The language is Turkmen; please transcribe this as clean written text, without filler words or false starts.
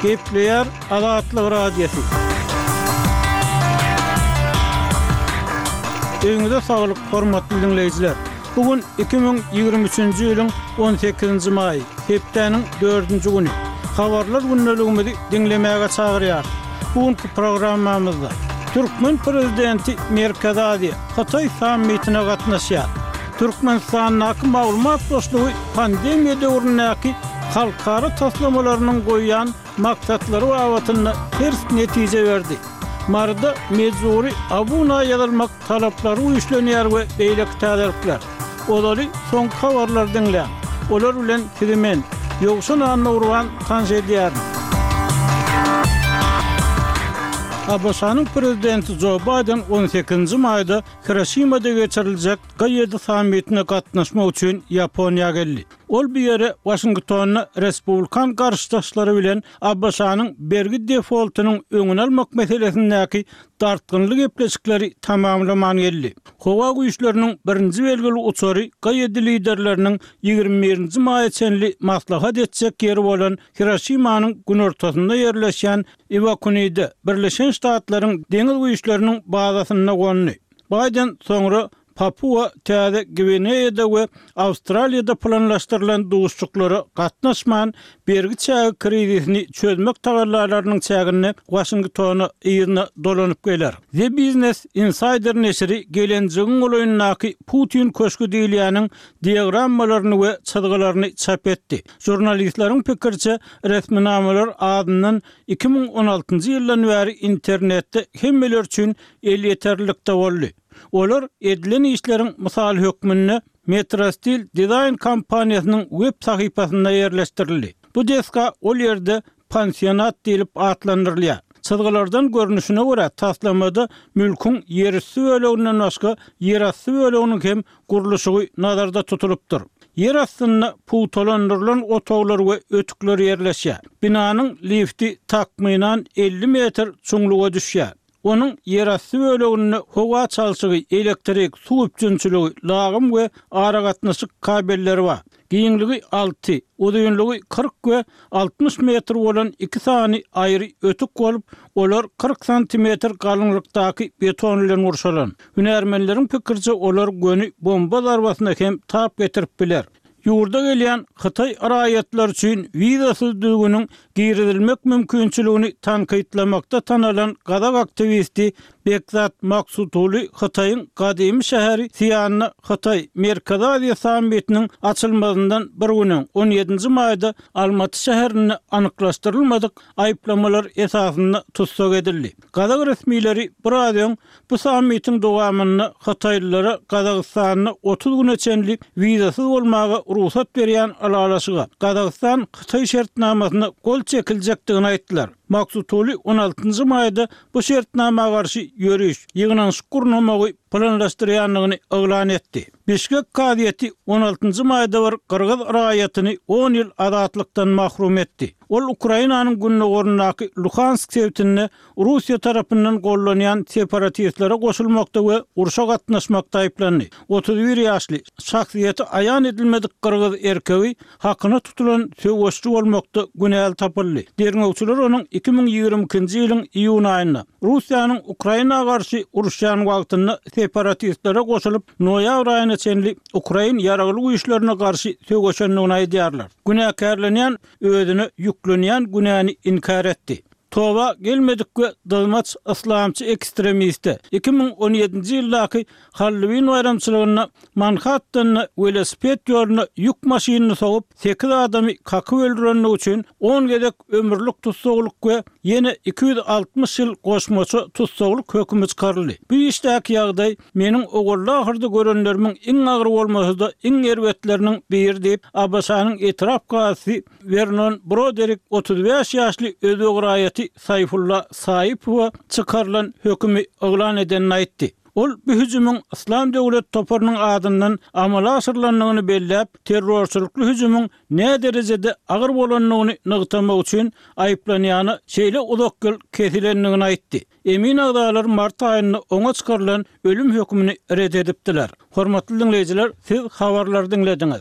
Gepleýär Azatlyk Radiosy. Öýüňize saglyk, hormatly diňleýjiler! Bu gün 2023-nji ýylyň 18-nji maýy, hepdäniň dördünji güni. Habarlar gündeligimizi diňlemäge çagyrýarys. Bu günki programmamyzda türkmen prezidenti Merkezi Aziýa, Hytaý sammitine gatnaşýar. Türkmenistandaky maglumat boşlugy pandemiýa döwründäki halkara taslamalarynyň goýýan maksatlary babatynda ters netije berdi. Maryda mejbury abuna ýazylmak talaplary güýçlenýär we beýleki täzelikler. Ozaly soňky habarlary diňläň. Olar bilen sizi men, Ýowşan Annagurban tanyş edýärin. ABŞ-nyň Prezidenti Jo Baýden on sekizinji maýda Hiroşimada geçiriljek G7 sammitine gatnaşmak üçin Ýaponiýa geldi. Ol bu ýere Waşingtonda respublikan garşydaşlary bilen ABŞ-nyň bergi defoltynyň öňüni almak meselesindäki dartgynly gepleşikleri tamamlaman geldi. Howa güýçleriniň birinji belgili uçary G7 liderleriniň 21 nji maýa çenli maslahat etjek ýeri bolan Hiroşimanyň günortasynda ýerleşýän Iwakunide, Birleşen Ştatlaryň deňiz güýçleriniň bazasynda gondy. Baýden soňra Papua Täze Gwineýada we Awstraliýada planlaşdyrylan duşuşyklara gatnaşman, bergi çägi krizisini çözmek tagallalarynyň çäginde Waşingtona yzyna dolanyp geler. The Business Insider neşiri Gelenjigiň golaýyndaky Putin köşgi diýilýäniň diagrammalaryny we çyzgylaryny çap etdi. Žurnalistleriň pikiriçe, resminamalar azyndan 2016-njy ýyldan bäri internetde hemmeler üçin elýeterlilikde boldy. Olar edilen işleriň mysaly hökmünde Metrostil dizaýn kompaniýasynyň web sahypasynda ýerleşdirildi. Bu desga ol ýerde pansionat diýlip atlandyrylýar. Çyzgylardan görnüşine görä, taslamada mülküň ýerüsti böleginden başga ýerasty böleginiň hem gurluşygy nazarda tutulypdyr. Ýer astynda pugtalandyrylan otaglar we ötükler ýerleşýär. Binanyň lifti takmynan 50 metr çuňluga düşýär. Onuň ýerasty böleginde howa çalşygy, elektrik, suw üpjünçiligi, lagym we aragatnaşyk kabelleri bar. Giňligi alty, uzynlygy 40 we 60 metr bolan iki sany aýry ötük bolup, olar 40 santimetr galyňlykdaky beton bilen gurşalan. Hünärmenleriň pikiriçe, olar göni bomba zarbasyna hem tap getirip biler. Ýurda gelýän hytaý raýatlary üçin wizasyz düzgüniň girizilmek mümkinçiligini tankytlamakda tanalan gazak aktiwisti Bekzat Maksutuly Hytaýyň gadymy şäheri Sianda Hytaý, Merkezi Aziýa sammitiniň açylmazyndan bir gün öň, on ýedinji maýda Almaty şäherinde anyklaşdyrylmadyk aýyplamalar esasynda tussag edildi. Gazak resmileri biraz öň Bu sammitiň dowamynda hytaýlylara Gazagystanda 30 güne çenli wizasyz bolmaga rugsat berýän ylalaşyga, Gazagystan, Hytaý şertnamasyna gol çekiljekdigini aýtdylar. Maksutuli on altynjy maýda bu şertnama garşy ýöriş, ýygnanyşyk gurnamagy planlaşdyrýandygyny yglan etdi. Bişkek kazyýeti on altynjy maýda bir gyrgyz raýatyny on ýyl azatlykdan mahrum etdi. Ol Ukrainanyň gündogaryndaky Luhansk sebitinde Russiýa tarapyndan gollanýan separatistlere goşulmakda we urşa gatnaşmakda aýyplandy. 31 ýaşly, şahsyýeti aýan edilmedik gyrgyz erkegi hakyna tutulan söweşçi bolmakda günäli tapyldy. Derňewçiler onuň 2022-nji ýylyň iýun aýynda, Russiýanyň Ukraina garşy uruşýan wagtynda separatistlere goşulyp, noýabr aýyna çenli ukrain ýaragly güýçlerine garşy söweşendigini aýdýarlar. Günäkärlenýän özüne ýüklenýän günäni inkär etdi. Toba gelmedik we dyzmaç yslamçy ekstremiste 2017-nji ýyldaky Halloween baýramçylygynda Manhattanda welosiped ýoluna ýük maşynyny sogup, sekiz adamy kakyp öldürendigi üçin on gezek ömürlik tussaglyk we ýene 260 ýyl goşmaça tussaglyk hökümi çykaryldy. Bu işdäki ýagdaý meniň owalda-ahyrda görenlerimiň iň agyry bolmasa-da, iň erbetleriniň biri diýip, ABŞ-nyň etrap kazysy Wernon Broderik 35 ýaşly özbek raýaty Saýfulla Saýipowa çykarylan hökümi yglan edenini aýtdy. Ol bu hüjümiň Yslam döwlet toparynyň adyndan amala aşyrylandygyny belläp, terrorçylykly hüjümiň näderejede agyr bolandygyny nygtamak üçin aýyplanýana şeýle uzak ýyl kesilendigini aýtdy. Emin agzalary mart aýynda oňa çykarylan ölüm hökümini ret edipdiler. Hormatly diňleýjiler, siz habarlary diňlediňiz.